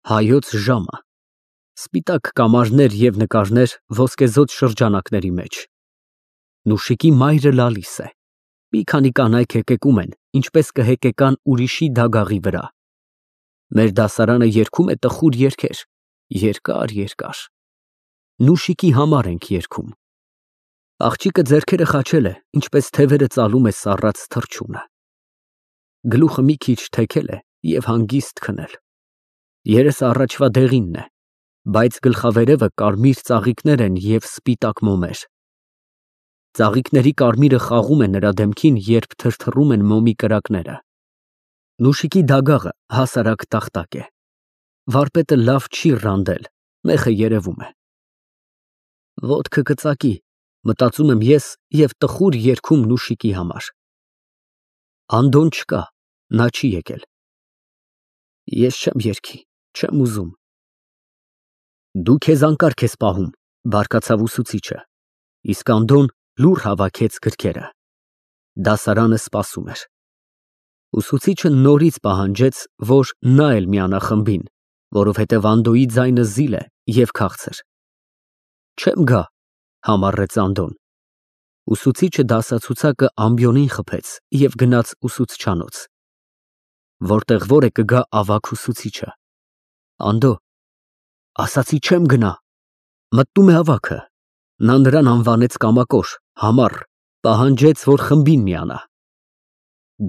Հայոց ժամը, սպիտակ կամարներ և նկարներ ոսկեզօծ շրջանակների մեջ։ Նուշիկի մայրը լալիս է, մի քանի կանայք հեկեկում են, ինչպես կհեկեկան ուրիշի դագաղի վրա։ Մեր դասարանը երգում է տխուր երգեր, երկար։ Նուշիկի համար ենք երգում։ Աղջիկը ձեռքերը խաչել է, ինչպես թևերը ծալում է սառած թռչունը։ Գլուխը մի քիչ թեքել է և հանգիստ քնել։ Երեսը առաջվա դեղինն է, բայց գլխավերևը կարմիր ծաղիկներ են և սպիտակ մոմեր։ Ծաղիկների կարմիրը խաղում է նրա դեմքին, երբ թրթռում են մոմի կրակները։ Նուշիկի դագաղը հասարակ տախտակ է։ Վարպետը լավ չի ռանդել, մեխը երևում է։ Ոտքը կծակի, մտածում եմ ես և տխուր երգում Նուշիկի համար։ Անդոն չկա, նա չի եկել։ Ես չեմ երգի, չեմ ուզում։ Դու քեզ անկարգ ես պահում, բարկացավ ուսուցիչը, իսկ Անդոն լուռ հավաքեց գրքերը։ Դասարանը սպասում էր։ Ուսուցիչը նորից պահանջեց, որ նա էլ միանա խմբին, որովհետև Անդոյի ձայնը զիլ է և քաղցր։ Չեմ գա, համառեց Անդոն։ Ուսուցիչը դասացուցակը ամբիոնին խփեց և գնաց ուսուցչանոց։ Որտեղ որ է կգա ավագ ուսուցիչը։ Անդո, ասացի չեմ գնա։ Մտնում է ավագը։ Նա նրան անվանեց կամակոր, համառ, պահանջեց, որ խմբին միանա։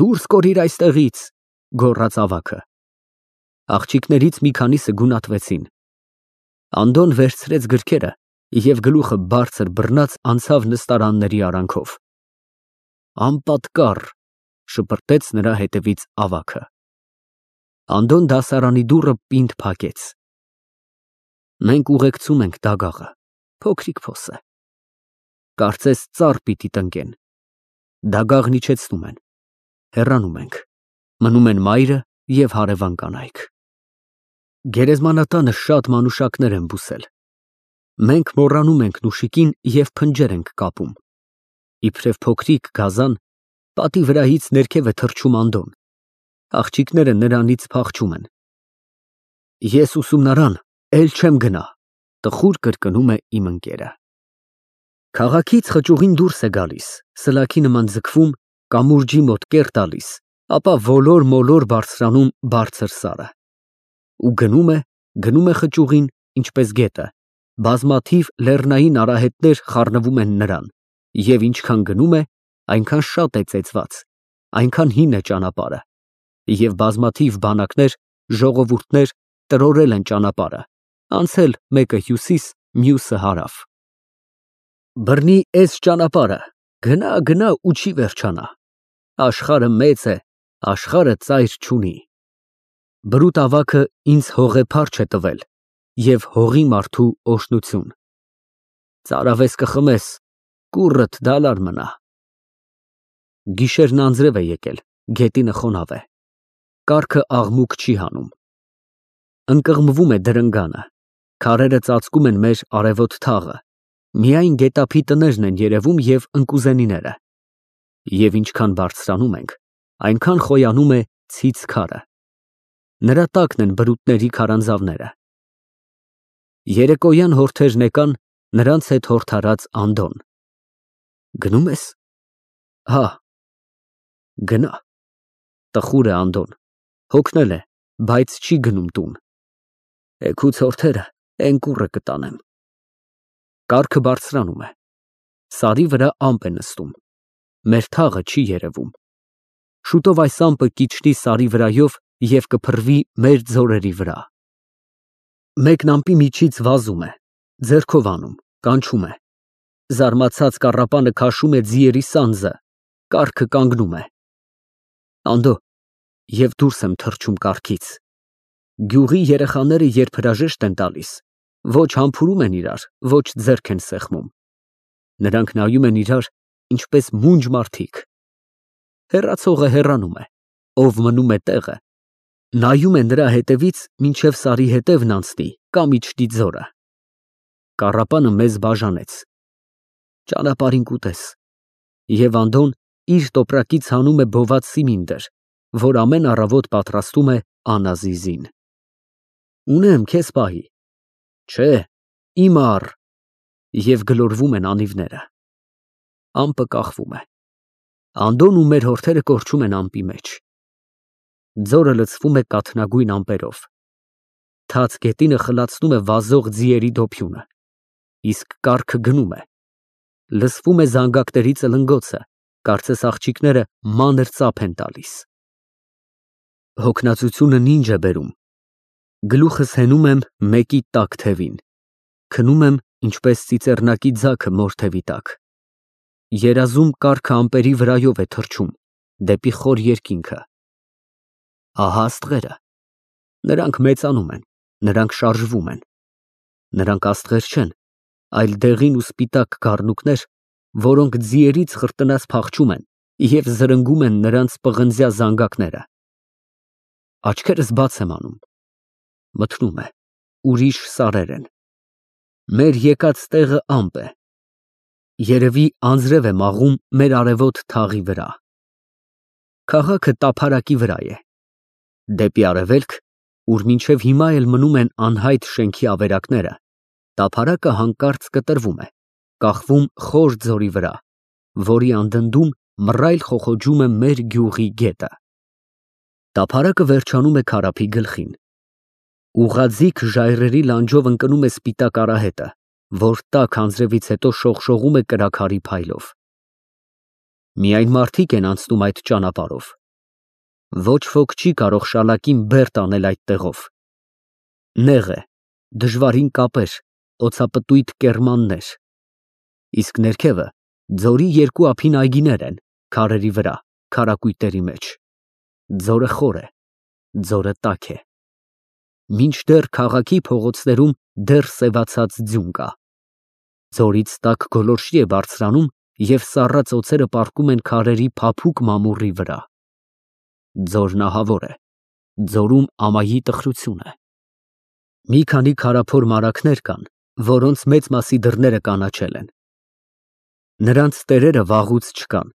Դուրս կորիր այստեղից, գոռաց ավագը։ Աղջիկներից մի քանիսը գունատվեցին։ Անդոն վերցրեց գրքերը և գլուխը բարձր բռնած անցավ նստարանների արանքով։ Անպատկառ, շպրտեց նրա հետևից ավագը։ Անդոն դասարանի դուռը պինդ փակեց։ Մենք ուղեկցում ենք դագաղը, փոքրիկ փոս է։ Կարծես ծառ պիտի տնկեն։ Դագաղն իջեցնում են։ Հեռանում ենք։ Մնում են մայրը և հարևան կանայք։ Գերեզմանատանը շատ մանուշակներ են բուսել։ Մենք մոռանում ենք Նուշիկին և փնջեր ենք կապում։ Իբրև փոքրիկ գազան, պատի վրայից ներքև է թռչում Անդոն։ Աղջիկները նրանից փախչում են։ Ես ուսումնարան էլ չեմ գնա, տխուր կրկնում է իմ ընկերը։ Քաղաքից խճուղին դուրս է գալիս, սլաքի նման ձգվում, կամուրջի մոտ կեռ տալիս, ապա ոլոր-մոլոր բարձրանում բարձր սարը։ Ու գնում է խճուղին, ինչպես գետը, բազմաթիվ լեռնային արահետներ խառնվում են նրան, և ինչքան գնում է, այնքան շատ է ծեծված, այնքան հին է ճանապարհը, և բազմաթիվ բանակներ, ժողովուրդներ տրորել են ճանապարհը, անցել մեկը հյուսիս, մյուսը հարավ։ Բռնի էս ճանապարհը, գնա ու չի վերջանա։ Աշխարհը մեծ է, աշխարհը ծայր չունի։ Բրուտ ավագը ինձ հողե փարչ է տվել և հողի մարդու օրհնություն։ Ծարավես կխմես, կուռդ դալար մնա։ Գիշերն անձրև է եկել, գետինը խոնավ է։ Կառքը աղմուկ չի հանում։ Ընկղմվում է դրնգանը, քարերը ծածկում են մեր արևոտ թաղը, միայն գետափի տներն են երևում և ընկուզենիները։ Եվ ինչքան բարձրանում ենք, այնքան խոյանում է ցից քարը։ Նրա տակն են բրուտների քարանձավները։ Երեկոյան հորթերն եկան, նրանց հետ հորդարած Անդոն։ Գնում ես։ Հա։ Գնա։ Տխուր է Անդոն, հոգնել է, բայց չի գնում տուն։ Էգուց հորթերը էն կուռը կտանեմ։ Կառքը բարձրանում է։ Սարի վրա ամպ է նստում։ Մեր թաղը չի երևում։ Շուտով այս ամպը կիջնի սարի վրայով և կփռվի մեր ձորերի վրա։ Մեկն ամպի միջից վազում է, ձեռքով անում, կանչում է։ Զարմացած կառապանը քաշում է ձիերի սանձը, կառքը կանգնում է։ Անդո, և դուրս եմ թռչում կառքից։ Գյուղի երեխաները երբ հրաժեշտ են տալիս, ոչ համբուրում են իրար, ոչ ձեռք են սեղմում։ Նրանք նայում են իրար, ինչպես մունջ մարդիկ։ Հեռացողը հեռանում է, ով մնում է տեղը, նայում է նրա հետևից, մինչև սարի հետևն անցնի կամ իջնի ձորը։ Կառապանը մեզ բաժանեց։ Ճանապարհին կուտես։ Եվ Անդոն իր տոպրակից հանում է բոված սիմինդր, որ ամեն առավոտ պատրաստում է Անազիզին։ Ունեմ քեզ պահի։ Չէ, իմ առ։ Եվ գլորվում են անիվները։ Ամպը կախվում է։ Անդոն ու մեր հորթերը կորչում են ամպի մեջ։ Ձորը լցվում է կաթնագույն ամպերով։ Թաց գետինը խլացնում է վազող ձիերի դոփյունը, իսկ կառքը գնում է։ Լսվում է զանգակների ծլնգոցը, կարծես աղջիկները մանր ծափ են տալիս։ Հոգնածությունն ինչ է բերում։ Գլուխս հենում եմ մեկի տաք թևին, քնում եմ ինչպես ծիծեռնակի ձագը մոր թևի տակ։ Երազում կառքը ամպերի վրայով է թռչում դեպի խոր երկինքը։ Ահա աստղերը։ Նրանք մեծանում են, նրանք շարժվում են։ Նրանք աստղեր չեն, այլ դեղին ու սպիտակ գառնուկներ, որոնք ձիերից խրտնած փախչում են և զրնգում են նրանց պղնձյա զանգակները։ Աչքերս բաց եմ անում։ Մթնում է, ուրիշ սարեր են։ Մեր եկած տեղը ամպ է։ Երևի անձրև է մաղում մեր արևոտ թաղի վրա։ Քաղաքը տափարակի վրա է։ Դեպի արևելք, ուր մինչև հիմա էլ մնում են անհայտ շենքի ավերակները, տափարակը հանկարծ կտրվում է, կախվում խոր ձորի վրա, որի անդնդում մռայլ խոխոջում է մեր գյուղի գետը։ Տափարակը վերջանում է քարափի գլխին։ Ուղղաձիգ ժայռերի լանջով ընկնում է սպիտակ արահետը, որ տաք անձրևից հետո շողշողում է կրաքարի փայլով։ Միայն մարդիկ են անցնում այդ ճանապարհով։ Ոչ ոք չի կարող շալակին բերդ անել այդ տեղով։ Նեղ է, դժվարին կապեր, օծապտույտ կեռմաններ։ Իսկ ներքևը ձորի երկու ափին այգիներ են, քարերի վրա, քարակույտերի մեջ։ Ձորը խոր է, ձորը տաք է։ Մինչդեռ քաղաքի փողոցներում դեռ սևացած ձյուն կա։ Ձորից տաք գոլորշի է բարձրանում և սառած օձերը պառկում են քարերի փափուկ մամուռի վրա։ Ձորն ահավոր է, ձորում ամայի տխրություն է։ Մի քանի քարափոր մարագներ կան, որոնց մեծ մասի դռները կանաչել են։ Նրանց տերերը վաղուց չկան,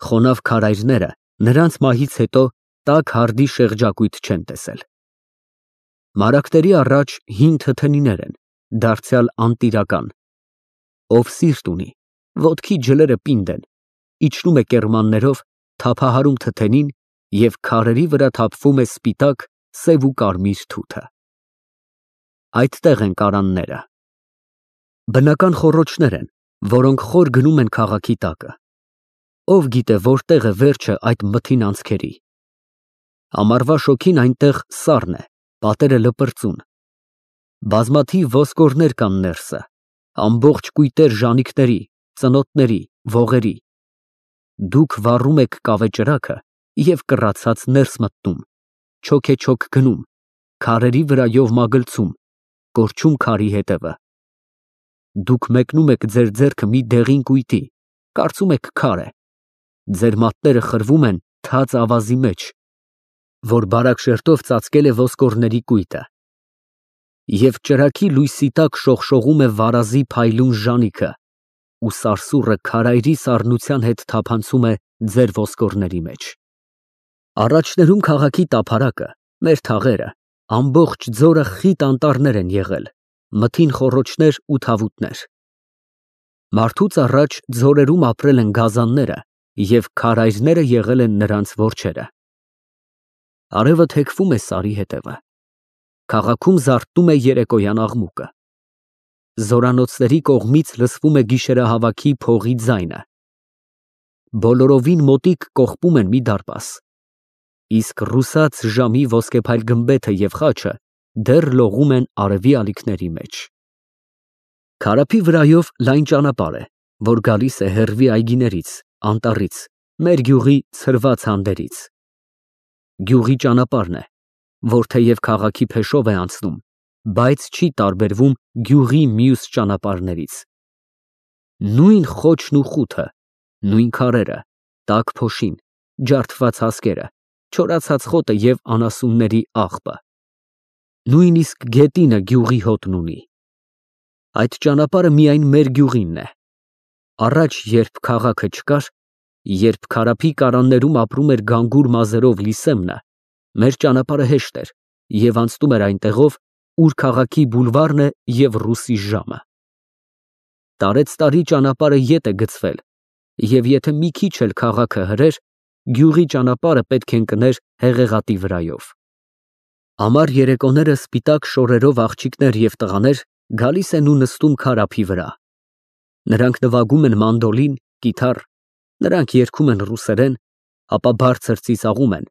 խոնավ քարայրները նրանց մահից հետո տաք հարդի շեղջակույտ չեն տեսել։ Մարագների առաջ հին թթենիներ են, դարձյալ անտիրական։ Ով սիրտ ունի, ոտքի ջլերը պինդ են, իջնում է կեռմաններով, թափահարում թթենին և քարերի վրա թափվում է սպիտակ, սև ու կարմիր թութը։ Այդտեղ են կարանները։ Բնական խոռոչներ են, որոնք խոր գնում են քաղաքի տակը։ Ով գիտե որտեղ է վերջը այդ մթին անցքերի։ Ամառվա շոգին այնտեղ սառն է, պատերը լպրծուն։ Բազմաթիվ ոսկորներ կան ներսը, ամբողջ կույտեր ժանիքների, ծնոտների, ողերի։ Դուք վառում եք կավե ճրագը և կռացած ներս մտնում, չոքեչոք գնում, քարերի վրայով մագլցում, կորչում քարի հետևը։ Դուք մեկնում եք ձեր ձեռքը մի դեղին կույտի, կարծում եք քար է։ Ձեր մատները խրվում են թաց ավազի մեջ, որ բարակ շերտով ծածկել է ոսկորների կույտը։ Եվ ճրագի լույսի տակ շողշողում է վարազի փայլուն ժանիքը, ու սարսուռը քարայրի սառնության հետ թափանցում է ձեր ոսկորների մեջ։ Առաջներում քաղաքի տափարակը, մեր թաղերը, ամբողջ ձորը խիտ անտառներ են եղել, մթին խոռոչներ ու թավուտներ։ Մարդուց առաջ ձորերում ապրել են գազանները և քարայրները եղել են նրանց որջերը։ Արևը թեքվում է սարի հետևը։ Քաղաքում զարթնում է երեկոյան աղմուկը։ Զորանոցների կողմից լսվում է գիշերահավաքի փողի ձայնը։ Բոլորովին մոտիկ կողպում են մի դարպաս, իսկ ռուսաց ժամի ոսկեփայլ գմբեթը և խաչը դեռ լողում են արևի ալիքների մեջ։ Քարափի վրայով լայն ճանապարհ է, որ գալիս է հեռվի այգիներից, անտառից, մեր գյուղի ցրված հանդերից։ Գյուղի ճանապարհն է, որ թեև քաղաքի փեշով է անցնում, բայց չի տարբերվում գյուղի մյուս ճանապարհներից։ Նույն խոչն ու խութը, նույն քարերը, տաք փոշին, ջարդված հասկերը, չորացած խոտը և անասունների աղբը։ Նույնիսկ գետինը գյուղի հոտն ունի։ Այդ ճանապարհը միայն մեր գյուղինն է։ Առաջ, երբ քաղաքը չկար, երբ քարափի կարաններում ապրում էր գանգուր մազերով Լիսեմնը, մեր ճանապարհը հեշտ էր և անցնում էր այնտեղով, ուր քաղաքի բուլվարն է և ռուսի ժամը։ Տարեցտարի ճանապարհը ետ է գցվել, և եթե մի քիչ էլ քաղաքը հրեր, գյուղի ճանապարհը պետք է ընկներ հեղեղատի վրայով։ Ամառ երեկոները սպիտակ շորերով աղջիկներ և տղաներ գալիս են ու նստում քարափի վրա։ Նրանք նվագում են մանդոլին, կիթառ, նրանք երգում են ռուսերեն, ապա բարձր ծիծաղում են,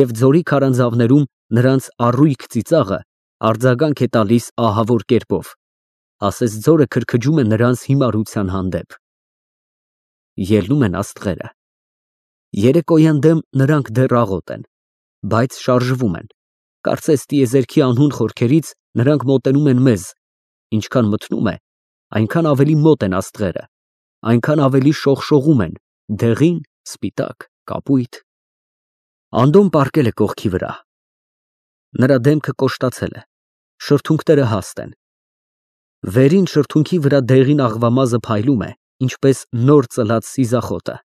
և ձորի քարանձավներում նրանց առույգ ծիծաղը արձագանք է տալիս ահավոր կերպով, ասես ձորը քրքջում է նրանց հիմարության հանդեպ։ Ելնում են աստղերը։ Երեկոյան դեմ նրանք դեռ աղոտ են, բայց շարժվում են, կարծես տիեզերքի անհուն խորքերից նրանք մոտենում են մեզ, ինչքան մթնում է, այնքան ավելի մոտ են աստղերը, այնքան ավելի շողշողում են, դեղին, սպիտակ, կապույտ։ Անդոն պառկել է կողքի վրա։ Նրա դեմքը կոշտացել է, շրթունքները հաստ են։ Վերին շրթունքի վրա դեղին աղվամազը փայլում է, ինչպես նոր ծլած սիզախոտը։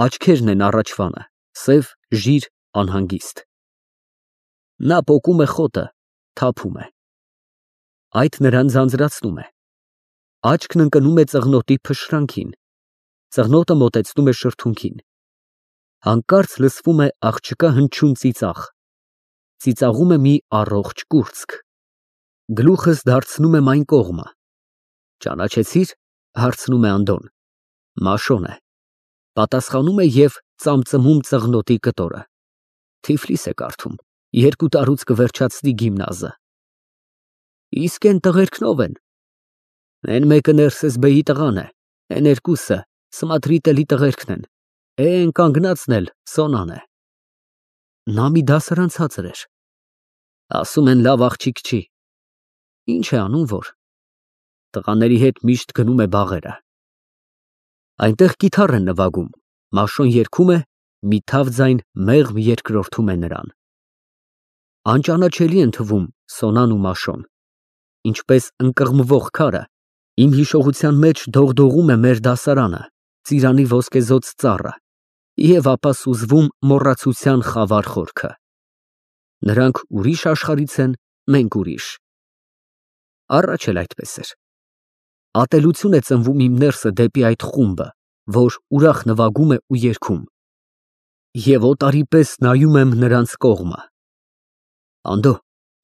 Աչքերն են առաջվանը, սև, ժիր, անհանգիստ։ Նա պոկում է խոտը, թափում է։ Այդ նրան ձանձրացնում է։ Աչքն ընկնում է ծղնոտի փշրանքին։ Ծղնոտը մոտեցնում է շրթունքին։ Հանկարծ լսվում է աղջկա հնչյուն ծիծաղ։ Ծիծաղում է մի առողջ կուրծք։ Գլուխս դարձնում եմ այն կողմը։ Ճանաչեցի՞ր, հարցնում է Անդոն։ Մաշոն է։ Պատասխանում է և ծամծմում ծղնոտի կտորը։ Թիֆլիս է կարդում, 2 տարուց կվերջացնի գիմնազը։ Իսկ են տղերքն ով են։ Էն մեկը Ներսեսբեի տղան է, էն երկուսը Սմատրիտելի տղերքն են, էն կանգնածն էլ Սոնան է։ Նա մի դասարան ցածր էր։ Ասում են լավ աղջիկ չի։ Ինչ է անում որ։ Տղաների հետ միշտ գնում է բաղերը։ Այնտեղ կիթառ են նվագում, Մաշոն երգում է, մի թավ ձայն մեղմ երկրորդում է նրան։ Անճանաչելի են թվում Սոնան ու Մաշոն։ Ինչպես ընկղմվող քարը, իմ հիշողության մեջ դողդողում է մեր դասարանը, ծիրանի ոսկեզօծ ծառը, և ապա սուզվում մոռացության խավար խորքը։ Նրանք ուրիշ աշխարհից են, մենք ուրիշ։ Առաջ էլ այդպես էր։ Ատելություն է ծնվում իմ ներսը դեպի այդ խումբը, որ ուրախ նվագում է ու երգում։ Եվ օտարի պես նայում եմ նրանց կողմը։ Անդո,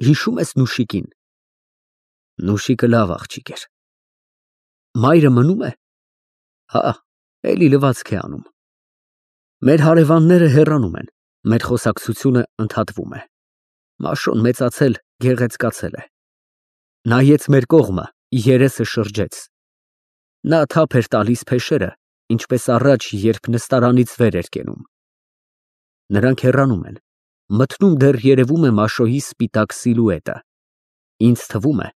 հիշո՞ւմ ես Նուշիկին։ Նուշիկը լավ աղջիկ էր։ Մայրը մնում է։ Հա, էլի լվացք է անում։ Մեր հարևանները հեռանում են, մեր խոսակցությունը ընդհատվում է։ Մաշոն մեծացել, գեղեցկացել է։ Նայեց մեր կողմը, երեսը շրջեց։ Նա թափ էր տալիս փեշերը, ինչպես առաջ, երբ նստարանից վեր էր կենում։ Նրանք հեռանում են, մթնում դեռ երևում է Մաշոյի սպիտակ սիլուետը։ Ինձ թվում է,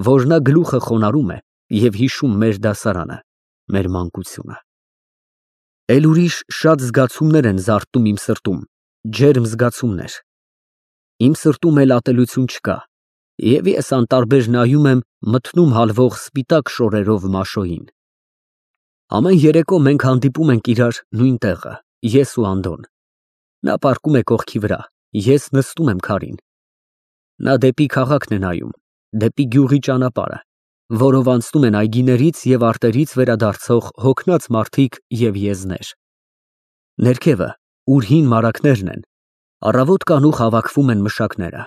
որ նա գլուխը խոնարհում է և հիշում մեր դասարանը, մեր մանկությունը։ Էլ ուրիշ շատ զգացումներ են զարթնում իմ սրտում, ջերմ զգացումներ։ Իմ սրտում էլ ատելություն չկա, և ես անտարբեր նայում եմ մթնում հալվող սպիտակ շորերով Մաշոյին։ Ամեն երեկո մենք հանդիպում ենք իրար նույն տեղը, ես ու Անդոն։ Նա պառկում է կողքի վրա, ես նստում եմ քարին։ Նա դեպի քաղաքն է նայում, դեպի գյուղի ճանապարհը, որով անցնում են այգիներից և արտերից վերադարձող հոգնած մարդիկ և եզներ։ Ներքևը, ուր հին մարագներն են, առավոտ կանուխ հավաքվում են մշակները։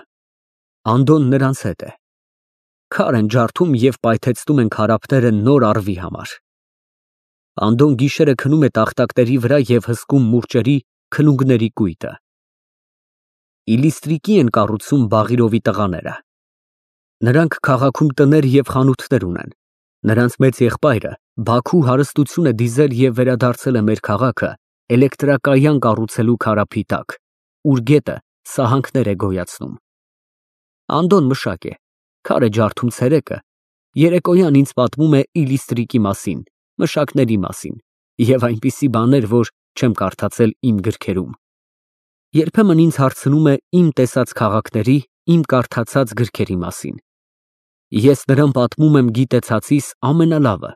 Անդոն նրանց հետ է։ Քար են ջարդում և պայթեցնում են քարափները նոր առվի համար։ Անդոն գիշերը քնում է տախտակների վրա և հսկում մուրճերի, քլունգների կույտը։ Իլիստրիկի են կառուցում Բաղիրովի տղաները։ Նրանք քաղաքում տներ և խանութներ ունեն։ Նրանց մեծ եղբայրը Բաքու հարստություն է դիզել և վերադարձել է մեր քաղաքը էլեկտրակայան կառուցելու քարափի տակ, ուր գետը սահանքներ է գոյացնում։ Անդոն մշակ է, քար է ջարդում ցերեկը, երեկոյան ինձ պատմում է Իլիստրիկի մասին, մշակների մասին և այնպիսի բաներ, որ չեմ կարդացել իմ գրքերում։ Երբեմն ինձ հարցնում է իմ տեսած քաղաքների, իմ կարդացած գրքերի մասին։ Ես նրան պատմում եմ գիտեցածիս ամենալավը,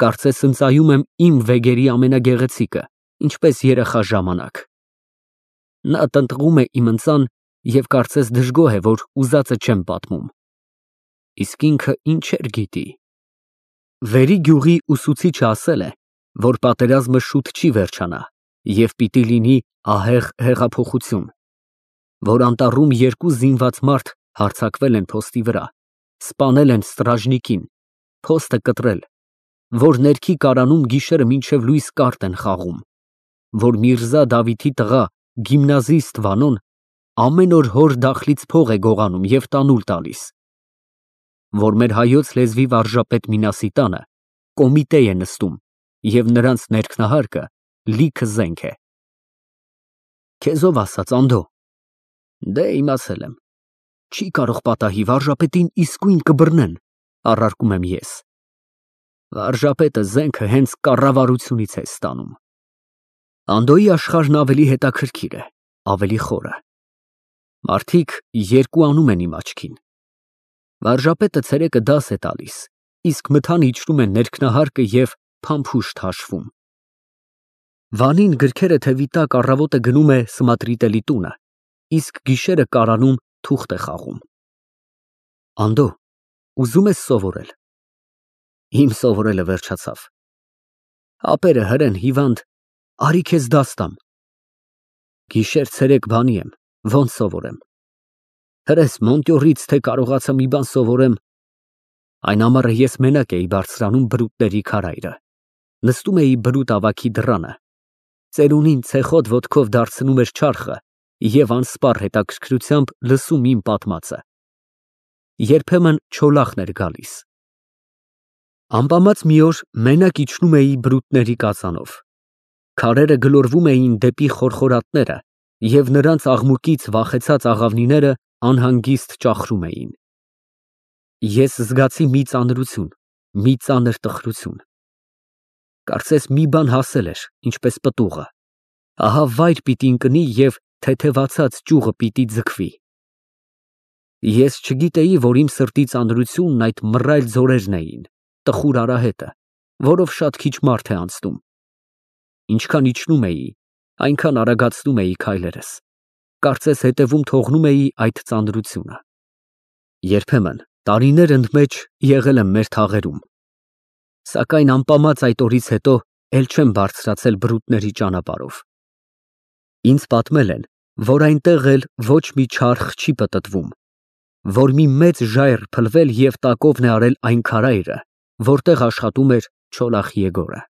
կարծես ընծայում եմ իմ վեգերի ամենագեղեցիկը, ինչպես երեխա ժամանակ։ Նա տնտղում է իմ ընծան և կարծես դժգոհ է, որ ուզածը չեմ պատմում։ Իսկ ինքը ինչեր գիտի։ Վերի գյուղի ուսուցիչը ասել է, որ պատերազմը շուտ չի վերջանա և պիտի լինի ահեղ հեղափոխություն, որ անտառում երկու զինված մարդ հարձակվել են փոստի վրա, սպանել են ստրաժնիկին, փոստը կտրել, որ ներքի կարանում գիշերը մինչև լույս կարտ են խաղում, որ Միրզա Դավիթի տղա գիմնազիստ Վանոն ամեն օր հոր դախլից փող է գողանում և տանուլ տալիս, որ մեր հայոց լեզվի վարժապետ Մինասի տանը կոմիտե է նստում և նրանց ներքնահարկը լիքը զենք է։ Քեզ ով ասաց, Անդո։ Դե իմացել եմ։ Չի կարող պատահի, վարժապետին իսկույն կբռնեն, առարկում եմ ես։ Վարժապետը զենքը հենց կառավարությունից է ստանում։ Անդոյի աշխարհն ավելի հետաքրքիր է, ավելի խորը։ Մարդիկ երկու անում են իմ աչքին։ Վարժապետը ցերեկը դաս է տալիս, իսկ մթան իջնում է ներքնահարկը և փամփուշտ հաշվում։ Վանին գրքերը թևի տակ առավոտը գնում է Սմատրիտելի տունը, իսկ գիշերը կարանում թուղթ է խաղում։ Անդո, ուզում ես սովորել։ Իմ սովորելը վերջացավ։ Ապերը հրեն հիվանդ, արի քեզ դաս տամ։ Գիշեր ցերեկ բանի եմ, ոնց սովորեմ։ Հրես Մոնտյորից թե կարողացա մի բան սովորեմ։ Այն ամառը ես մենակ էի բարձրանում բրուտների քարայրը, նստում էի բրուտ ավագի դռանը, ծերունին ցեխոտ ոտքով դարձնում էր չարխը և անսպառ հետաքրքրությամբ լսում իմ պատմածը։ Երբեմն չոլախն էր գալիս։ Ամպամած մի օր մենակ իջնում էի բրուտների կածանով։ Քարերը գլորվում էին դեպի խորխորատները և նրանց աղմուկից վախեցած աղավնիները անհանգիստ ճախրում էին։ Ես զգացի մի ծանրություն, մի ծանր տխրություն։ Կարծես մի բան հասել էր, ինչպես պտուղը։ Ահա վայր պիտի ընկնի և թեթևացած ճյուղը պիտի ձգվի։ Ես չգիտեի, որ իմ սրտի ծանրությունն այդ մռայլ ձորերն էին, տխուր արահետը, որով շատ քիչ մարդ է անցնում։ Ինչքան իջնում էի, այնքան արագացնում էի քայլերս, կարծես հետևում թողնում էի այդ ծանրությունը։ Երբեմն տարիներ ընդմեջ եղել եմ մեր թաղերում, սակայն ամպամած այդ օրից հետո էլ չեմ բարձրացել բրուտների ճանապարհով։ Ինձ պատմել են, որ այնտեղ էլ ոչ մի չարխ չի պտտվում, որ մի մեծ ժայռ փլվել և տակովն է արել այն քարայրը, որտեղ աշխատում էր Չոլախ Եգորը։